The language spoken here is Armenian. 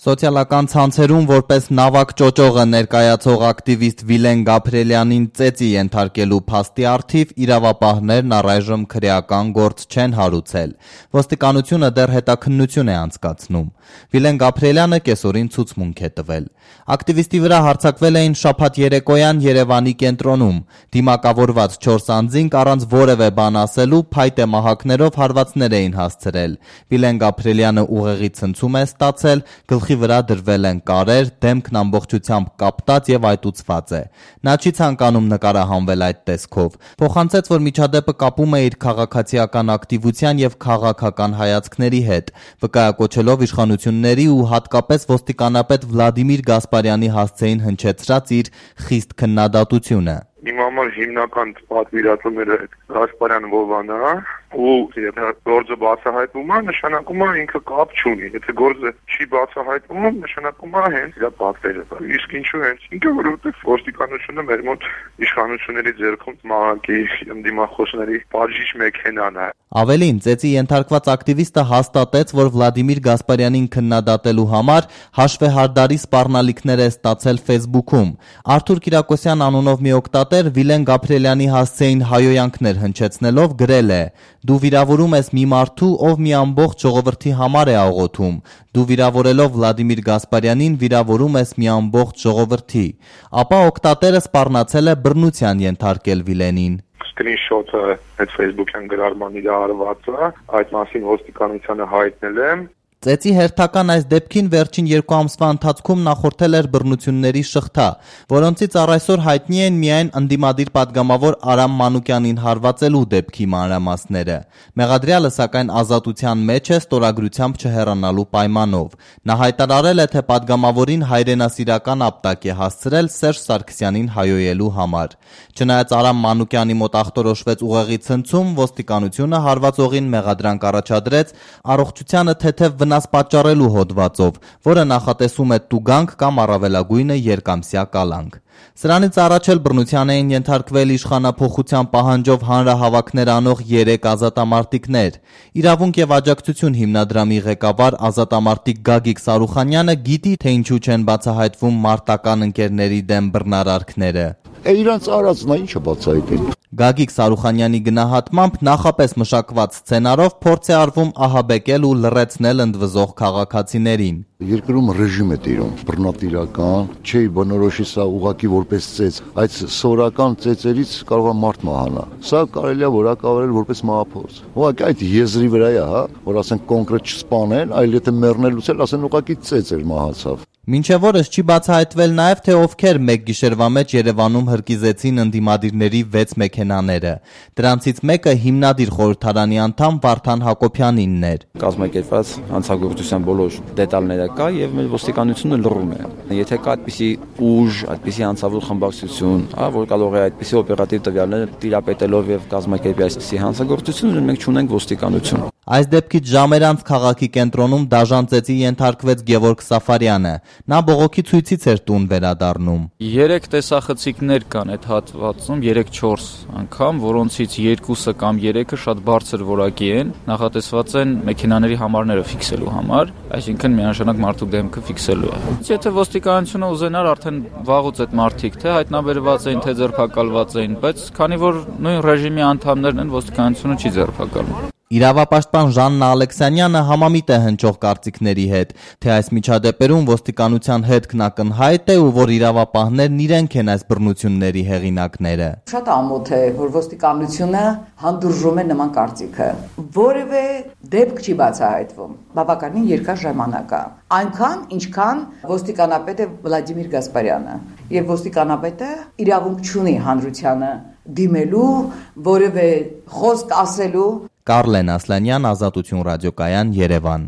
Սոցիալական ցանցերում որպես նավակ ճոճողը ներկայացող ակտիվիստ Վիլեն Գաբրիելյանին ծեծի ենթարկելու փաստի առթիվ իրավապահներն առայժմ քրեական գործ չեն հարուցել։ Ոստիկանությունը դեռ հետաքննություն է անցկացնում։ Վիլեն Գաբրիելյանը կեսօրին ցուցմունք է տվել։ Ակտիվիստի վրա հարձակվել էին շաբաթ երեկոյան Երևանի կենտրոնում։ Դիմակավորված 4 անձինք առանց որևէ բան ասելու փայտե մահակներով հարվածներ էին հասցրել։ Վիլեն Գաբրիելյանը ուղեղի ցնցում է ստացել, գլխի վրա դրվել են կարեր, դեմքն ամբողջությամբ կապտած եւ այտուցված է։ Նա չի ցանկանում նկարահանվել այդ տեսքով։ Փոխանցեց, որ միջադեպը կապում է իր քաղաքացիական ակտիվության եւ քաղաքական հայացքների հետ, վկայակոչելով իշխանությունների ու հատկապես ոստիկանապետ Վլադիմիր Գասպարյանի հասցեին հնչեցրած իր խիստ քննադատությունը։ Իմ համար հիմնական պատվիրատուները Գասպարյան Վովանն է, ու եթե գործը բացահայտվում է, նշանակում է ինքը կապ չունի։ Եթե գործը չի բացահայտվում, նշանակում է հենց իր պատվերը։ Իսկ ինչու հենց ինքը, որովհետև ոստիկանությունը մեր մոտ իշխանությունների ձեռքում մահակի դիմախոսների բաժիշ մեքենան է։ Ավելին, ծեծի ենթարկված ակտիվիստը հաստատեց, որ Վլադիմիր Գասպարյանին քննադատելու համար հաշվեհարդարի սպառնալիքներ է ստացել Facebook-ում։ Արթուր Կիրակոսյան անունով մի օգտատեր Վիլեն Գաբրիելյանի հասցեին հայոյանքներ հնչեցնելով գրել է. «Դու վիրավորում ես մի մարդու, ով մի ամբողջ ժողովրդի համար է աղոթում։ Դու վիրավորելով Վլադիմիր Գասպարյանին վիրավորում ես մի ամբողջ ժողովրդի»։ Ապա օգտատերը սպառնացել է բռնության ենթարկել Վիլենին։ Սկրինշոթը այդ Facebook-յան գրառման իր արվածը, այդ մասին ոստիկանությանը հայտնել եմ։ Ծեծի հերթական այս դեպքին վերջին 2 ամսվա ընթացքում նախորդել էր բռնությունների շղթա, որոնցից առ այսօր հայտնի են միայն ընդդիմադիր падգամավոր Արամ Մանուկյանին հարվածելու դեպքի մանրամասները։ Մեղադրյալը սակայն ազատության մեջ է ստորագրությամբ չհեռանալու պայմանով։ Նա հայտարարել է, թե падգամավորին հայրենասիրական ապտակ է հասցրել Սերժ Սարգսյանին հայոյելու համար։ Չնայած Արամ Մանուկյանի մոտ ախտորոշվեց ուղեղի ցնցում, ոստիկանությունը հարվածողին մեղադրանք առաջադրեց առողջությանը թեթև վնաս պատճառելու հոդվածով, որը նախատեսում է տուգանք կամ առավելագույնը երկամսյա կալանք։ Սրանից առաջ էլ բռնության էին ենթարկվել իշխանափոխության պահանջով հանրահավաքներ անող 3 ազատամարտիկներ։ Իրավունք եւ աջակցություն հիմնադրամի ղեկավար ազատամարտիկ Գագիկ Սարուխանյանը գիտի, թե ինչու չեն բացահայտվում մարտական ընկերների դեմ բռնարարքները։ Իրանց արածն է, ինչը բացահայտել։ Գագիկ Սարուխանյանի գնահատմամբ նախապես մշակված սցենարով փորձ է արվում ահաբեկել ու լռեցնել ընդվզող քաղաքացիներին։ Երկրում ռեժիմ է տիրում, բռնատիրական, չի բնորոշի սա ուղղակի որպես ծեծ, այդ սորական ծեծերից կարող է մարդ մահանա։ Սա կարելի է որակավորել որպես մահափորձ։ Ուղղակի այդ եզրի վրա է, որ ասեն կոնկրետ չսպանեն, այլ եթե մեռնելուց էլ ասեն ուղղակի ծեծ էր մահացավ։ Մինչև օրս չի բացահայտվել նաև, թե ովքեր մեկ գիշերվա մեջ Երևանում հրկիզեցին ընդդիմադիրների 6 մեքենաները։ Դրանցից մեկը հիմնադիր խորհրդարանի անդամ Վարդան Հակոբյանինն էր։ Կազմակերպված հանցագործության բոլոր դետալները կա եւ մեր ոստիկանությունը լռում է։ Եթե կա այդպիսի ուժ, այդպիսի հանցավոր խմբակցություն, որ կարող է այդպիսի օպերատիվ տվյալներ տիրապետելով եւ կազմակերպի այսպիսի հանցագործություն, մենք չունենք ոստիկանություն։ Այս դեպքից ժամեր անց քաղաքի կենտրոնում դաժան ծեծի ենթարկվեց Գևորգ Սաֆարյանը։ Նա բողոքի ցույցից էր տուն վերադառնում։ 3 տեսախցիկներ կան այդ հատվածում, 3-4 անգամ, որոնցից 2-ը կամ 3-ը շատ բարձր որակի են, նախատեսված են մեքենաների համարները ֆիքսելու համար, այսինքն միանշանակ մարդու դեմքը ֆիքսելու է։ Եթե ոստիկանությունը ուզենար, արդեն վաղուց այդ մարդիկ թե հայտնաբերված էին, թե ձերբակալված էին, բայց քանի որ նույն ռեժիմի անդամներն են, ոստիկանությունը չի ձերբակալում։ Իրավապաշտպան Ժաննա Ալեքսանյանը համամիտ է հնչող կարծիքների հետ, թե այս միջադեպերում ոստիկանության հետքն ակնհայտ է ու որ իրավապահներն իրենք են այս բռնությունների հեղինակները։ Շատ ամոթ է, որ ոստիկանությունը հանդուրժում է նման կարծիքը։ Որևէ դեպք չի բացահայտվում։ Բավականին երկար ժամանակ է։ Այնքան, ինչքան ոստիկանապետը Վլադիմիր Գասպարյանը, եւ ոստիկանապետը իրավունք չունի հանրությանը դիմելու, որևէ խոսք ասելու։ Կարլեն Ասլանյան, Ազատություն ռադիոկայան, Երևան։